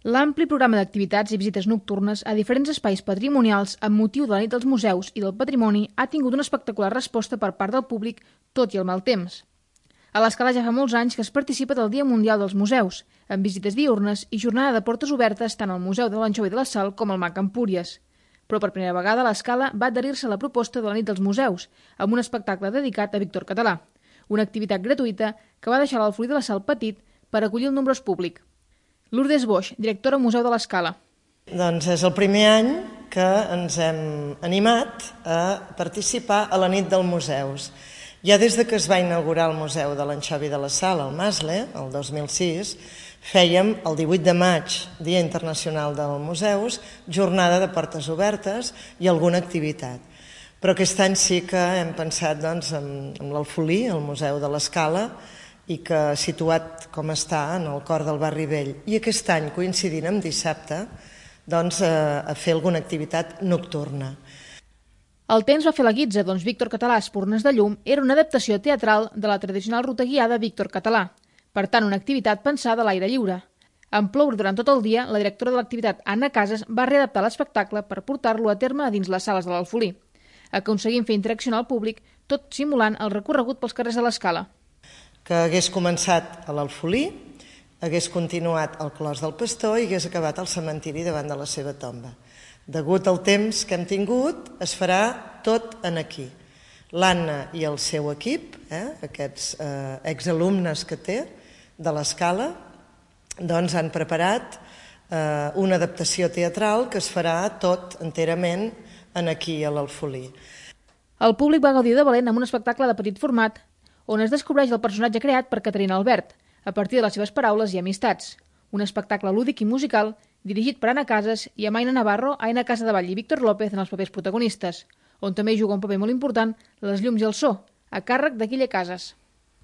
L'ampli programa d'activitats i visites nocturnes a diferents espais patrimonials amb motiu de la nit dels museus i del patrimoni ha tingut una espectacular resposta per part del públic, tot i el mal temps. A l'Escala ja fa molts anys que es participa del Dia Mundial dels Museus, amb visites diürnes i jornada de portes obertes tant al Museu de l'Anxova i de la Sal com al MAC Empúries. Però per primera vegada l'Escala va adherir-se a la proposta de la nit dels museus, amb un espectacle dedicat a Víctor Català, una activitat gratuïta que va deixar l'Alfolí de la Sal petit per acollir el nombrós públic. Lourdes Boix, directora Museu de l'Escala. Doncs és el primer any que ens hem animat a participar a la nit dels museus. Ja des que es va inaugurar el Museu de l'Anxova i de la Sal, al Masle, el 2006, fèiem el 18 de maig, Dia Internacional dels Museus, jornada de portes obertes i alguna activitat. Però aquest any sí que hem pensat en l'Alfolí, el Museu de l'Escala, i que situat com està en el cor del barri vell. I aquest any, coincidint amb dissabte, a fer alguna activitat nocturna. El temps va fer la guitza, Víctor Català, Espurnes de llum, era una adaptació teatral de la tradicional ruta guiada Víctor Català, per tant una activitat pensada a l'aire lliure. En ploure durant tot el dia, la directora de l'activitat, Anna Casas, va readaptar l'espectacle per portar-lo a terme a dins les sales de l'Alfolí, aconseguint fer interaccionar al públic, tot simulant el recorregut pels carrers de l'Escala. Que hagués començat a l'Alfolí, hagués continuat al Clos del Pastor i hagués acabat al cementiri davant de la seva tomba. Degut al temps que hem tingut, es farà tot en aquí. L'Anna i el seu equip, aquests exalumnes que té de l'Escala, han preparat una adaptació teatral que es farà tot enterament aquí a l'Alfolí. El públic va gaudir de valent amb un espectacle de petit format on es descobreix el personatge creat per Caterina Albert, a partir de les seves paraules i amistats. Un espectacle lúdic i musical dirigit per Anna Casas i Amaina Navarro, Aina Casadevall i Víctor López en els papers protagonistes, on també juga un paper molt important les llums i el so, a càrrec de Guille Casas.